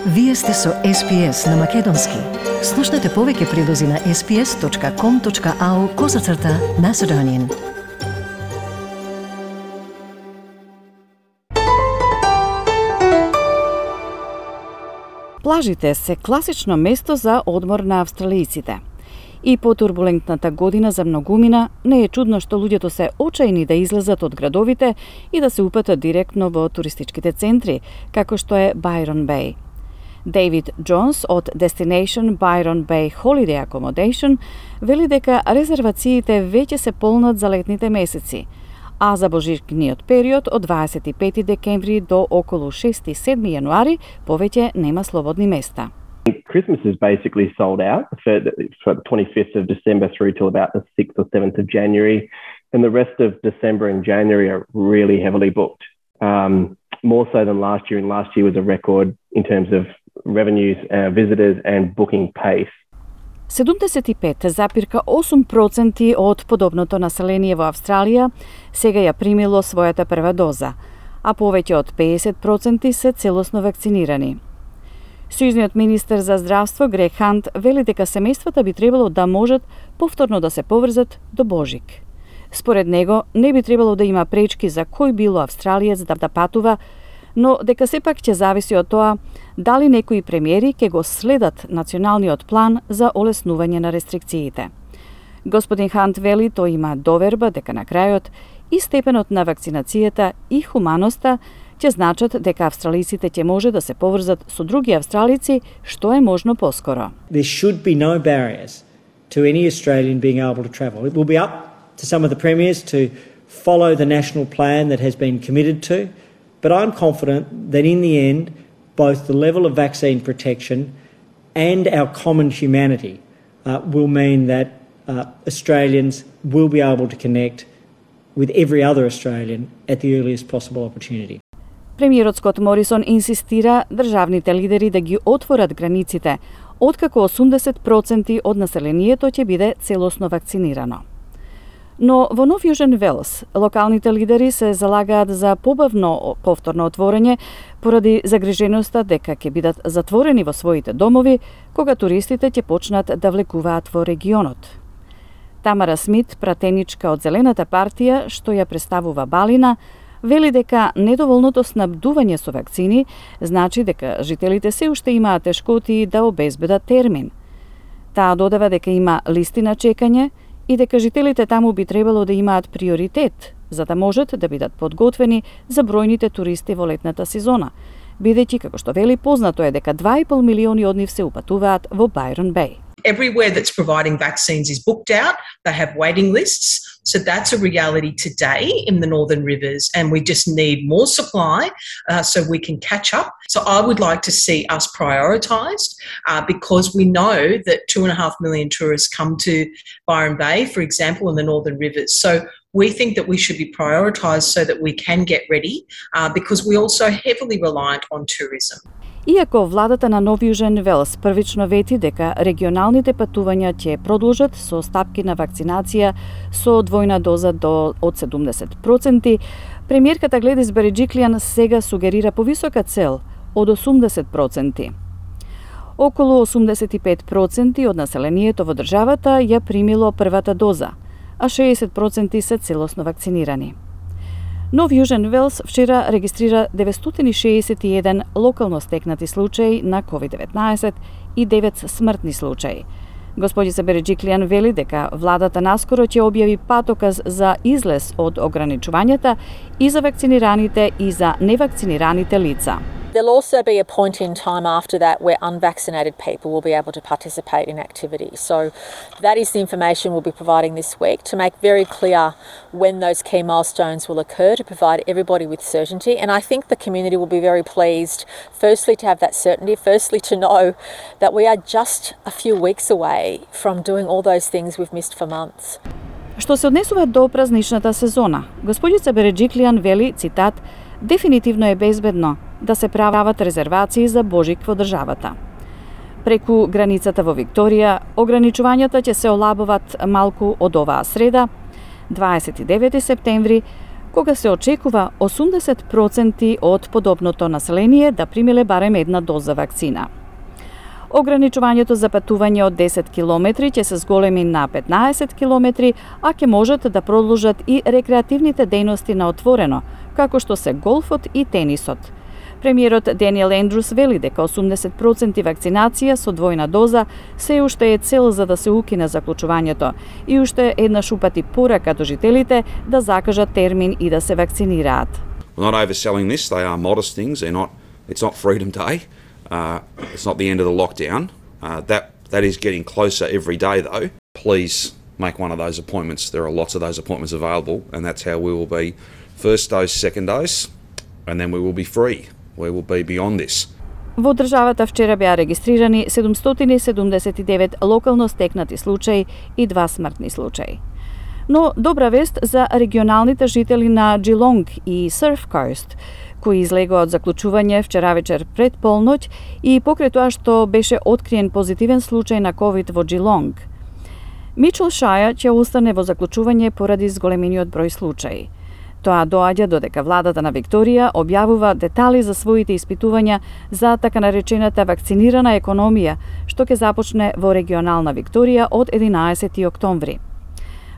Вие сте со SPS на Македонски. Слушнете повеќе прилози на sps.com.au/Macedonian. Плажите се класично место за одмор на австралијците. И по турбулентната година за многумина, не е чудно што луѓето се очајни да излезат од градовите и да се упатат директно во туристичките центри, како што е Byron Bay. Дейвид Джонс од Destination Byron Bay Holiday Accommodation вели дека резервациите веќе се полнат за летните месеци, а за божичниот период од 25 декември до околу 6-7 јануари повеќе нема слободни места. Christmas is basically sold out for the 25th of December through till about the 6th or 7th of January, and the rest of December and January are really heavily booked. More so than last year, and last year was a record in terms of revenues, visitors and booking pace. 75,8% од подобното население во Австралија сега ја примило својата прва доза, а повеќе од 50% се целосно вакцинирани. Сојузниот министер за здравство Грег Хант вели дека семејствата би требало да можат повторно да се поврзат до Божик. Според него, не би требало да има пречки за кој било австралиец да патува, но дека сепак ќе зависи од тоа дали некои премиери ќе го следат националниот план за олеснување на рестрикциите. Господин Хант вели тој има доверба дека на крајот и степенот на вакцинацијата и хуманоста ќе значат дека австралиците ќе може да се поврзат со други австралици што е можно поскоро. There should be no barriers to any Australian being able to travel. It will be up to some of the premiers to follow the national plan that has been committed to, but I'm confident that in the end, both the level of vaccine protection and our common humanity will mean that Australians will be able to connect with every other Australian at the earliest possible opportunity. Премиерот Скот Морисон инсистира државните лидери да ги отворат границите, откако 80% од населението ќе биде целосно вакцинирано. Но во Нов Јужен Велс, локалните лидери се залагаат за побавно повторно отворање поради загриженоста дека ќе бидат затворени во своите домови кога туристите ќе почнат да влекуваат во регионот. Тамара Смит, пратеничка од Зелената партија, што ја представува Балина, вели дека недоволното снабдување со вакцини значи дека жителите се уште имаат тешкоти да обезбедат термин. Таа додава дека има листи на чекање и дека жителите таму би требало да имаат приоритет за да можат да бидат подготвени за бројните туристи во летната сезона, бидејќи, како што вели, познато е дека 2,5 милиони од нив се упатуваат во Byron Bay. Everywhere that's providing vaccines is booked out. They have waiting lists. So that's a reality today in the Northern Rivers, and we just need more supply so we can catch up. So I would like to see us prioritised because we know that 2.5 million tourists come to Byron Bay, for example, in the Northern Rivers. So we think that we should be prioritised so that we can get ready because we're also heavily reliant on tourism. Иако владата на Нов Јужен Велс првично вети дека регионалните патувања ќе продолжат со стапки на вакцинација со двојна доза од 70%, премиерката Гледис Береджиклијан сега сугерира повисока цел од 80%. Околу 85% од населението во државата ја примило првата доза, а 60% се целосно вакцинирани. Нов Јужен Велс вчера регистрира 961 локално стекнати случаи на COVID-19 и 9 смртни случаи. Господица Береджиклијан вели дека владата наскоро ќе објави патоказ за излез од ограничувањата и за вакцинираните и за невакцинираните лица. There'll also be a point in time after that where unvaccinated people will be able to participate in activity. So that is the information we'll be providing this week to make very clear when those key milestones will occur to provide everybody with certainty. And I think the community will be very pleased, firstly to have that certainty, firstly to know that we are just a few weeks away from doing all those things we've missed for months. Што се однесува до празничната сезона, господица Береджиклијан вели, цитат, дефинитивно е безбедно да се прават резервации за Божик во државата. Преку границата во Викторија, ограничувањата ќе се олабуваат малку од оваа среда, 29 септември, кога се очекува 80% од подобното население да примиле барем една доза вакцина. Ограничувањето за патување од 10 километри ќе се зголеми на 15 километри, а ќе можат да продолжат и рекреативните дејности на отворено, како што се голфот и тенисот. Премиерот Даниел Ендрус вели дека 80% вакцинација со двојна доза се уште е цел за да се укине заклучувањето и уште еднаш упати порака до жителите да закажат термин и да се вакцинираат. We're not overselling this. They are modest things. It's not Freedom Day. It's not the end of the lockdown. That is getting closer every day, though. Please make one of those appointments. There are lots of those appointments available, and that's how we will be first dose, second dose, and then we will be free. We will be beyond this. Во државата вчера беа регистрирани 779 локално стекнати случаи и 2 смртни случаи. Но добра вест за регионалните жители на Geelong и Surf Coast, кои излегоа од заклучување вчера вечер пред полноќ и покрај тоа што беше откриен позитивен случај на COVID во Geelong. Мичел Шаја ќе остане во заклучување поради зголемениот број случаи. Тоа доаѓа додека владата на Викторија објавува детали за своите испитувања за така наречената вакцинирана економија, што ќе започне во регионална Викторија од 11 октомври.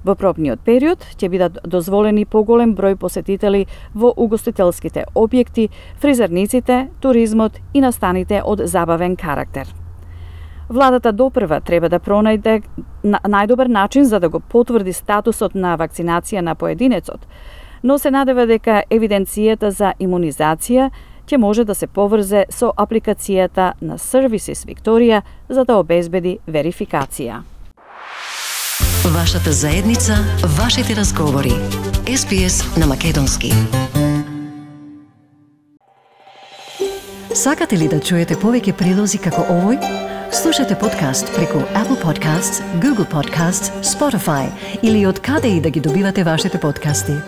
Во пробниот период ќе бидат дозволени поголем број посетители во угостителските објекти, фризерниците, туризмот и настаните од забавен карактер. Владата допрва треба да пронајде најдобар начин за да го потврди статусот на вакцинација на поединецот, но се надева дека евиденцијата за имунизација ќе може да се поврзе со апликацијата на Services Викторија за да обезбеди верификација. Вашата заедница, вашите разговори. SPS на македонски. Сакате ли да чуете повеќе прилози како овој? Слушате подкаст преку Apple Podcasts, Google Podcasts, Spotify или од каде и да ги добивате вашите подкасти.